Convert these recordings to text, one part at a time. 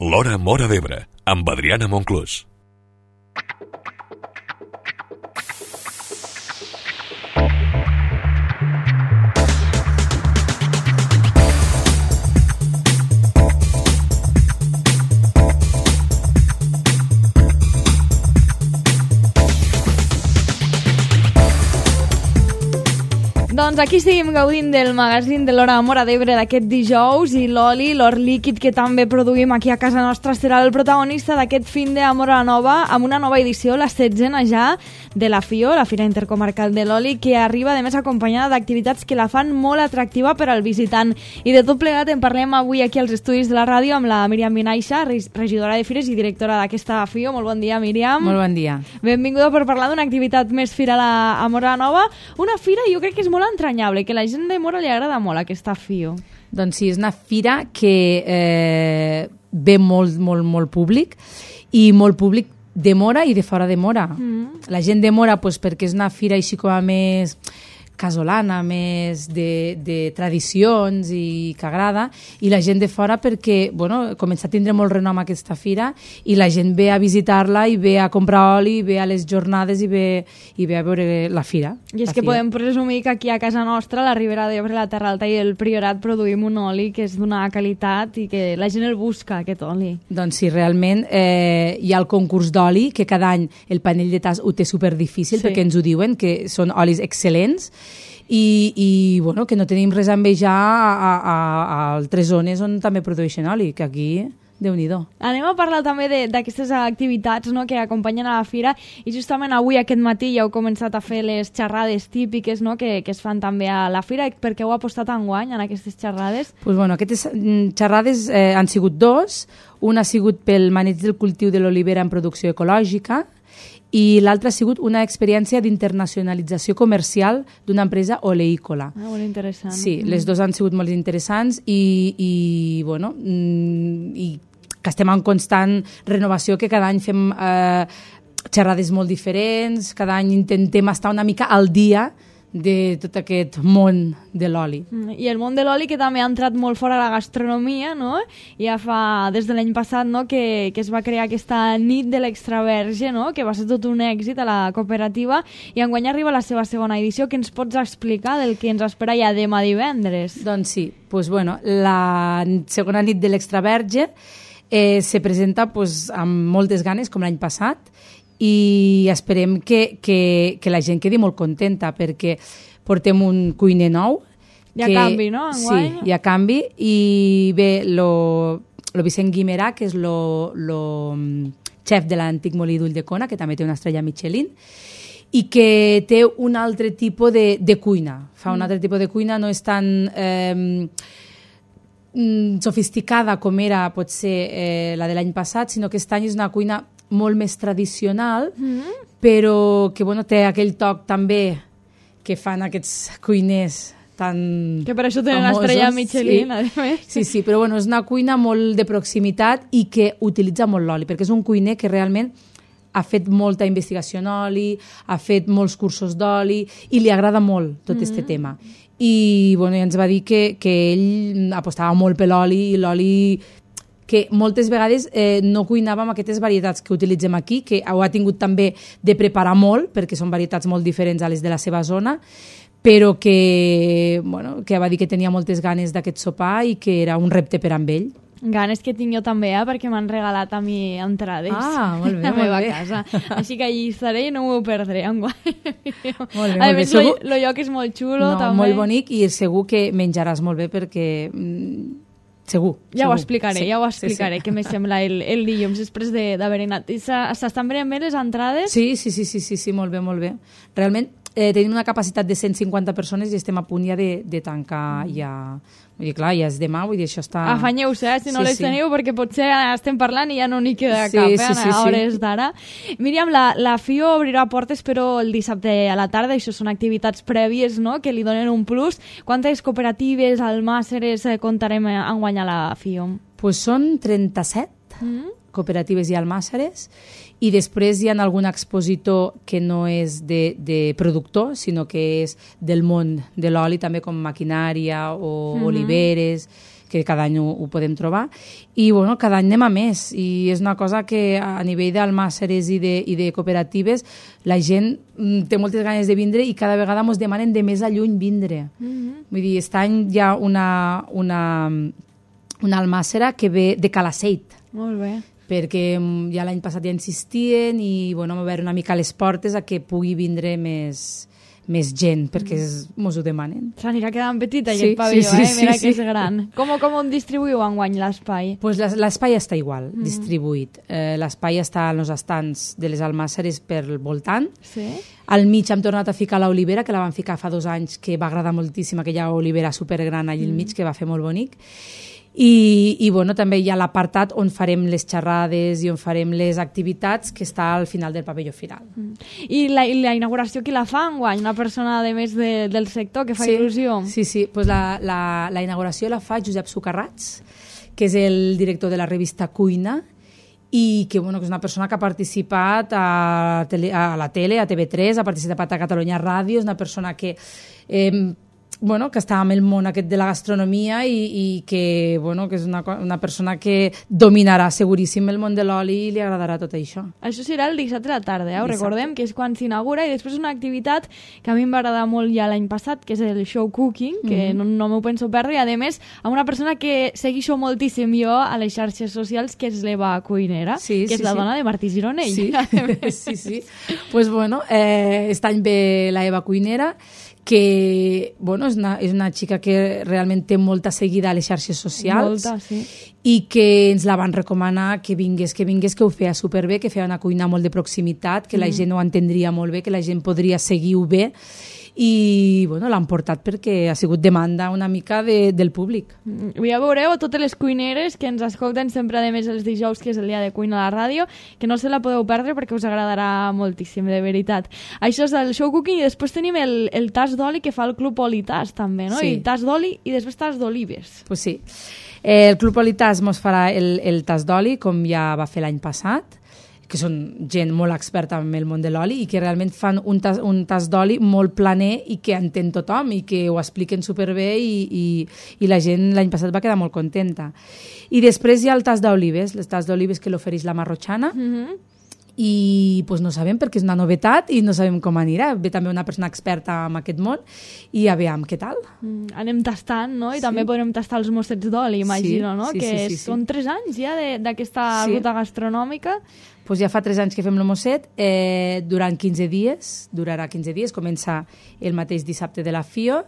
L'Hora Móra d'Ebre, amb Adriana Monclús. Doncs aquí seguim gaudint del magazín de l'Hora Móra d'Ebre d'aquest dijous i l'oli, l'or líquid que també produïm aquí a casa nostra serà el protagonista d'aquest fin de Móra Nova amb una nova edició, la 16a ja, de la FIO, la Fira Intercomarcal de l'Oli, que arriba de més acompanyada d'activitats que la fan molt atractiva per al visitant. I de tot plegat en parlem avui aquí als estudis de la ràdio amb la Míriam Vinaixa, regidora de Fires i directora d'aquesta FIO. Molt bon dia, Míriam. Molt bon dia. Benvinguda per parlar d'una activitat més firal a Móra Nova. Una fira jo crec que és molt entranyable, que la gent de Móra li agrada molt aquesta FIO. Doncs sí, és una fira que ve molt públic, i molt públic de Móra i de fora de Móra. La gent de Móra, pues, perquè és una fira així com a més casolana, més de tradicions i que agrada, i la gent de fora perquè, bueno, comença a tindre molt renom aquesta fira i la gent ve a visitar-la i ve a comprar oli, ve a les jornades i ve a veure la fira. I és que podem presumir que aquí a casa nostra, a la Ribera d'Ebre, la Terra Alta i el Priorat, produïm un oli que és d'una qualitat i que la gent el busca, aquest oli. Doncs sí, realment hi ha el concurs d'oli, que cada any el panell de tas ho té superdifícil, perquè ens ho diuen, que són olis excel·lents, i bueno, que no tenim res a envejar a altres zones on també produeixen oli, que aquí, Déu-n'hi-do. Anem a parlar també d'aquestes activitats, no?, que acompanyen a la fira, i justament avui, aquest matí, ja heu començat a fer les xerrades típiques, no?, que es fan també a la fira. Per què heu apostat enguany en aquestes xerrades? Pues bueno, aquestes xerrades han sigut dos. Una ha sigut pel maneig del cultiu de l'olivera en producció ecològica, i l'altra ha sigut una experiència d'internacionalització comercial d'una empresa oleícola. Molt interessant. Sí, les dues han sigut molt interessants i bueno, i que estem en constant renovació, que cada any fem xerrades molt diferents, cada any intentem estar una mica al dia de tot aquest món de l'oli. I el món de l'oli, que també ha entrat molt fora a la gastronomia, no? Ja fa, des de l'any passat, no?, que es va crear aquesta nit de l'extraverge, no?, que va ser tot un èxit a la cooperativa, i enguany arriba la seva segona edició. Què ens pots explicar del que ens espera ja demà divendres? Doncs sí, pues bueno, la segona nit de l'extraverge se presenta pues, amb moltes ganes, com l'any passat, i esperem que la gent quedi molt contenta, perquè portem un cuiner nou. Hi ha canvi, no, enguany? Sí, hi ha canvi, i bé, lo Vicent Guimerà, que és lo xef de l'antic molí d'Ulldecona, que també té una estrella Michelin, i que té un altre tipus de cuina. Fa un altre tipus de cuina, no és tan sofisticada com era, potser, la de l'any passat, sinó que aquest any és una cuina molt més tradicional, però que bueno, té aquell toc també que fan aquests cuiners tan que per això tenen l'estrella Michelin, a més. Sí, però bueno, és una cuina molt de proximitat i que utilitza molt l'oli, perquè és un cuiner que realment ha fet molta investigació en oli, ha fet molts cursos d'oli i li agrada molt tot aquest tema. I bueno, ens va dir que ell apostava molt per l'oli, i l'oli que moltes vegades no cuinava amb aquestes varietats que utilitzem aquí, que ho ha tingut també de preparar molt, perquè són varietats molt diferents a les de la seva zona, però que va dir que tenia moltes ganes d'aquest sopar i que era un repte per amb ell. Ganes que tinc jo també, perquè m'han regalat a mi entrades molt bé, a la meva casa. Així que allí estaré i no m'ho perdré enguany. Molt bé, a més, el lloc és molt xulo, també. Molt bonic, i segur que menjaràs molt bé, perquè segur. Ja ho explicaré, sí. Què me sembla el dilluns després d'haver anat. S'estan venent bé les entrades? Sí, molt bé. Realment tenim una capacitat de 150 persones i estem a punt ja de tancar ja. Vull dir, clar, ja és demà, vull dir, això està... Afanyeu-se, si no les teniu, perquè potser estem parlant i ja no n'hi queda cap, a hores d'ara. Míriam, la FIO obrirà portes, però el dissabte a la tarda, això són activitats prèvies, no?, que li donen un plus. Quantes cooperatives, almàsseres, comptarem enguany a la FIO? Pues són 37 cooperatives i almàsseres, i després hi ha algun expositor que no és de productor, sinó que és del món de l'oli, també com maquinària o oliveres, que cada any ho podem trobar. I bueno, cada any anem a més, i és una cosa que a nivell d'almàsseres i de cooperatives la gent té moltes ganes de vindre i cada vegada ens demanen de més a lluny vindre. Vull dir, aquest any hi ha una almàssera que ve de Calaceit. Molt bé. Perquè ja l'any passat ja insistien i bueno, vam veure una mica les portes a que pugui vindre més gent, perquè mos ho demanen. S'anirà quedant petit aquest pavelló, mira que és gran. Com ho distribuïu enguany l'espai? Pues l'espai està igual, distribuït. L'espai està en els estants de les almàsseres per voltant. Al mig hem tornat a ficar l'olivera, que la vam ficar fa 2 anys, que va agradar moltíssim, aquella olivera supergran allà al mig, que va fer molt bonic. I bueno, també hi ha l'apartat on farem les xerrades i on farem les activitats, que està al final del pavelló firal. I la inauguració qui la fa enguany? Una persona, a més del sector, que fa il·lusió? Sí. Pues la inauguració la fa Josep Sucarrats, que és el director de la revista Cuina, i que, bueno, que és una persona que ha participat a la tele, a TV3, ha participat a Catalunya Ràdio, és una persona que que està en el món aquest de la gastronomia i que és una persona que dominarà seguríssim el món de l'oli i li agradarà tot això. Això serà el dissabte a la tarda, ho recordem, que és quan s'inaugura, i després una activitat que a mi em va agradar molt ja l'any passat, que és el show cooking, que no m'ho penso perdre, i a més amb una persona que segueixo moltíssim jo a les xarxes socials, que és l'Eva Cuinera, que és la dona de Martí Gironell. Sí. Pues bueno, aquest any ve l'Eva Cuinera, que és una xica que realment té molta seguida a les xarxes socials. Molta, sí. I que ens la van recomanar que vingués, que ho feia superbé, que feia una cuina molt de proximitat, que la gent ho entendria molt bé, que la gent podria seguir-ho bé, i l'han portat perquè ha sigut demanda una mica del públic. Ja veureu a totes les cuineres que ens escolten sempre, a més els dijous, que és el dia de cuina a la ràdio, que no se la podeu perdre perquè us agradarà moltíssim, de veritat. Això és el show cooking, i després tenim el tas d'oli que fa el Club Olitas també, no? I tas d'oli i després tas d'olives. Pues sí. El Club Olitas mos farà el tas d'oli, com ja va fer l'any passat, que són gent molt experta en el món de l'oli i que realment fan un tas d'oli molt planer i que entén tothom i que ho expliquen superbé i la gent l'any passat va quedar molt contenta. I després hi ha el tas d'olives, les tas d'olives que l'ofereix la Marrotxana, i no sabem perquè és una novetat i no sabem com anirà. Ve també una persona experta en aquest món i a veure què tal. Anem tastant, no? I també podrem tastar els mossets d'oli, imagino, no? Que són 3 anys ja d'aquesta ruta gastronòmica. Ja fa 3 anys que fem el mosset, durant 15 dies, durarà 15 dies, comença el mateix dissabte de la FIO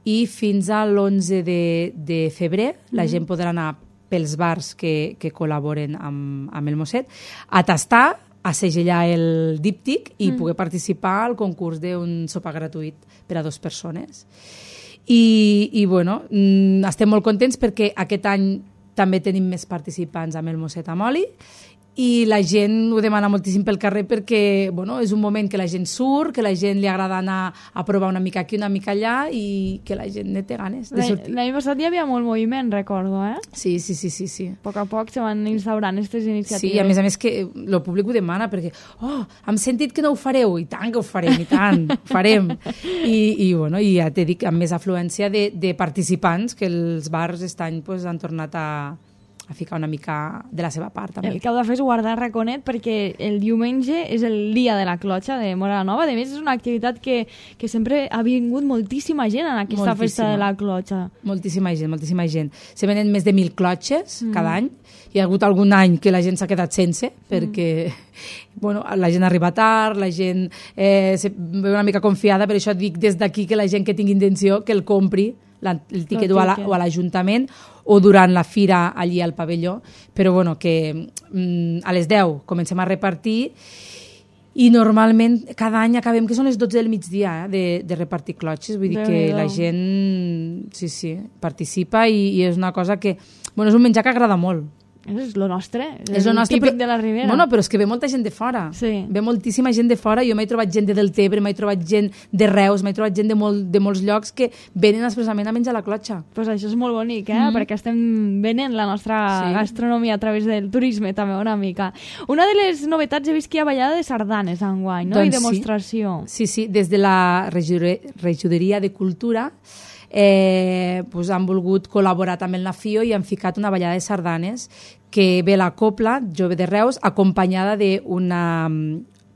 i fins a l'11 de febrer la gent podrà anar pels bars que col·laboren amb el mosset a tastar, a segellar el díptic i poder participar al concurs d'un sopar gratuït per a 2 persones. I estem molt contents perquè aquest any també tenim més participants amb el mosset amb oli i la gent ho demana moltíssim pel carrer perquè és un moment que la gent surt, que la gent li agrada anar a provar una mica aquí, una mica allà i que la gent ne té ganes de sortir. L'any passat hi havia molt moviment, recordo, eh? Sí. A poc a poc se van instaurant aquestes iniciatives. Sí, a més que el públic ho demana perquè hem sentit que no ho fareu, i tant que ho farem, i tant, ho farem. I ja t'he dit, amb més afluència de participants, que els bars aquest any han tornat a ficar una mica de la seva part, també. El que heu de fer és guardar raconet perquè el diumenge és el dia de la clotxa de Móra la Nova. A més, és una activitat que sempre ha vingut moltíssima gent en aquesta festa de la clotxa. Moltíssima gent. Se venen més de 1.000 clotxes cada any. Hi ha hagut algun any que la gent s'ha quedat sense perquè la gent arriba tard, la gent se ve una mica confiada, per això dic des d'aquí que la gent que tingui intenció que el compri el tiquet o a l'Ajuntament o durant la fira allí al pavelló, però que a les 10 comencem a repartir i normalment cada any acabem que són les 12 del migdia de repartir clotxes, vull dir que la gent participa i és una cosa que és un menjar que agrada molt. És lo nostre, és el típic de la Ribera. Però és que ve molta gent de fora. Sí. Ve moltíssima gent de fora. Jo m'he trobat gent de Deltebre, m'he trobat gent de Reus, m'he trobat gent de molts llocs que venen expressament a menjar la clotxa. Pues això és molt bonic, perquè estem venent la nostra gastronomia a través del turisme també una mica. Una de les novetats he vist que hi ha ballada de sardanes enguany, no? I demostració. Sí, des de la regidoria de Cultura pues han volgut col·laborar també amb la FIO i han ficat una ballada de sardanes que ve la Copla Jove de Reus acompanyada d'una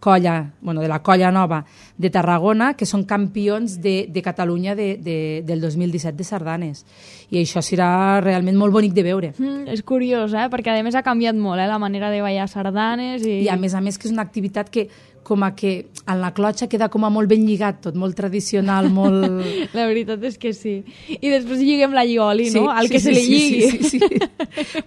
colla, de la Colla Nova de Tarragona, que són campions de Catalunya del 2017 de sardanes. I això serà realment molt bonic de veure. És curiós, perquè a més ha canviat molt la manera de ballar sardanes. I a més que és una activitat que com a que en la clotxa queda com a molt ben lligat tot, molt tradicional, molt... La veritat és que sí. I després lliguem la llioli, no? Al que se li lligui. Sí.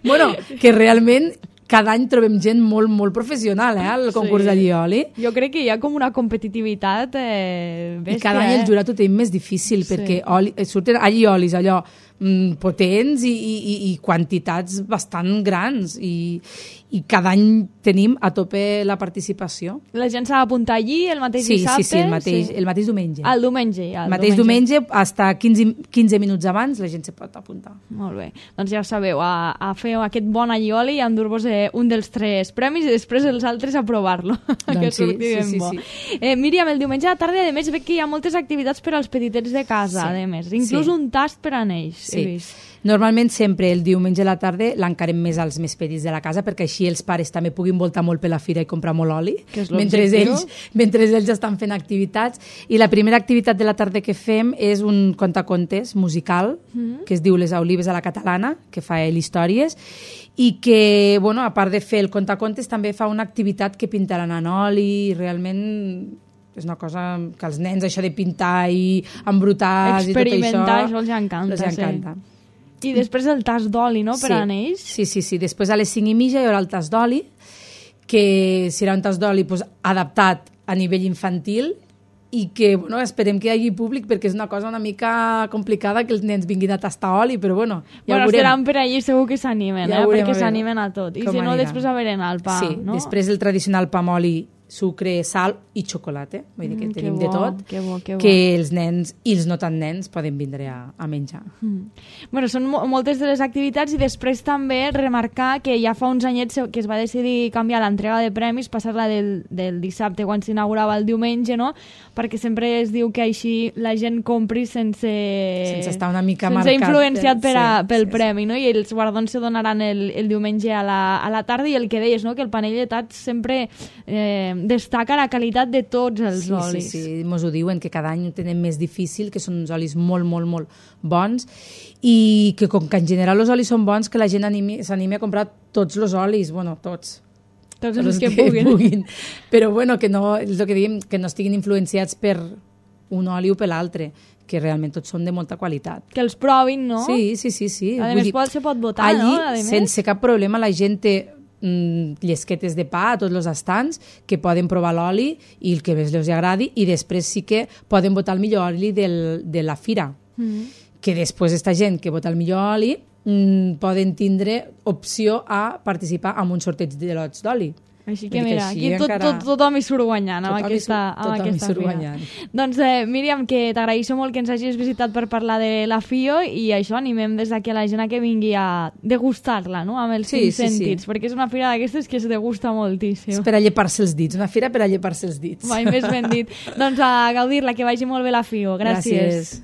Bueno, que realment cada any trobem gent molt, molt professional, al concurs de llioli. Jo crec que hi ha com una competitivitat bèstia. I cada any el jurat ho tenim més difícil, perquè surten lliolis allò potents i quantitats bastant grans i cada any tenim a tope la participació. La gent s'ha d'apuntar allí el mateix dissabte? Sí, el mateix diumenge. El diumenge, ja. El mateix diumenge, fins a 15 minuts abans, la gent se pot apuntar. Molt bé. Doncs ja ho sabeu, a fer aquest bon allioli i a endur-vos un dels 3 premis i després els altres a provar-lo. Doncs sí. Míriam, el diumenge a la tarda, a més, veig que hi ha moltes activitats per als petitets de casa, a més. Inclús un tast per a ells. Sí. Normalment sempre el diumenge a la tarda l'encarem més als més petits de la casa perquè així els pares també puguin voltar molt per la fira i comprar molt oli mentre ells estan fent activitats. I la primera activitat de la tarda que fem és un contacontes musical que es diu Les Olives a la Catalana, que fa ell històries i que, a part de fer el contacontes també fa una activitat que pintaran en oli i realment... és una cosa que als nens això de pintar i embrutar i tot això... Experimentar, això els encanta. I després el tas d'oli, no?, per a ells? Sí. Després a les 5:30 hi haurà el tas d'oli, que serà un tas d'oli adaptat a nivell infantil i que, esperem que hi hagi públic perquè és una cosa una mica complicada que els nens vinguin a tastar oli, però ja ho veurem. Seran per allí segur que s'animen, perquè s'animen a tot. I si no, després a berenar el pa, no? Sí, després el tradicional pa amb oli, sucre, sal i xocolata. Vull dir que tenim de tot. Que bo. Que els nens i els no tan nens poden vindre a menjar. Són moltes de les activitats i després també remarcar que ja fa uns anyets que es va decidir canviar l'entrega de premis, passar-la del dissabte quan s'inaugurava el diumenge, no? Perquè sempre es diu que així la gent compri sense estar una mica marcat. Sense influenciat pel premi, no? I els guardons se donaran el diumenge a la tarda i el que deies, no? Que el panell de tats sempre destaca la qualitat de tots els olis. Sí, mos ho diuen, que cada any ho tenen més difícil, que són uns olis molt, molt, molt bons i que com que en general els olis són bons, que la gent s'animi a comprar tots els olis, tots els que puguin. Però que no, és el que diguem, que no estiguin influenciats per un oli o per l'altre, que realment tots són de molta qualitat. Que els provin, no? Sí. A més, se pot votar, allí, no? Sense cap problema, la gent té llesquetes de pa a tots els estants que poden provar l'oli i el que més els agradi i després sí que poden votar el millor oli de la fira. Que després aquesta gent que vota el millor oli poden tindre opció a participar en un sorteig de lots d'oli. Així que mira, aquí tothom hi surt guanyant amb aquesta fira. Doncs Míriam, que t'agraeixo molt que ens hagis visitat per parlar de la FIO i això, animem des d'aquí a la gent que vingui a degustar-la, no?, amb els 5 sentits, perquè és una fira d'aquestes que es degusta moltíssim. És per a llepar-se els dits, una fira per a llepar-se els dits. Mai més ben dit. Doncs a gaudir-la, que vagi molt bé la FIO. Gràcies.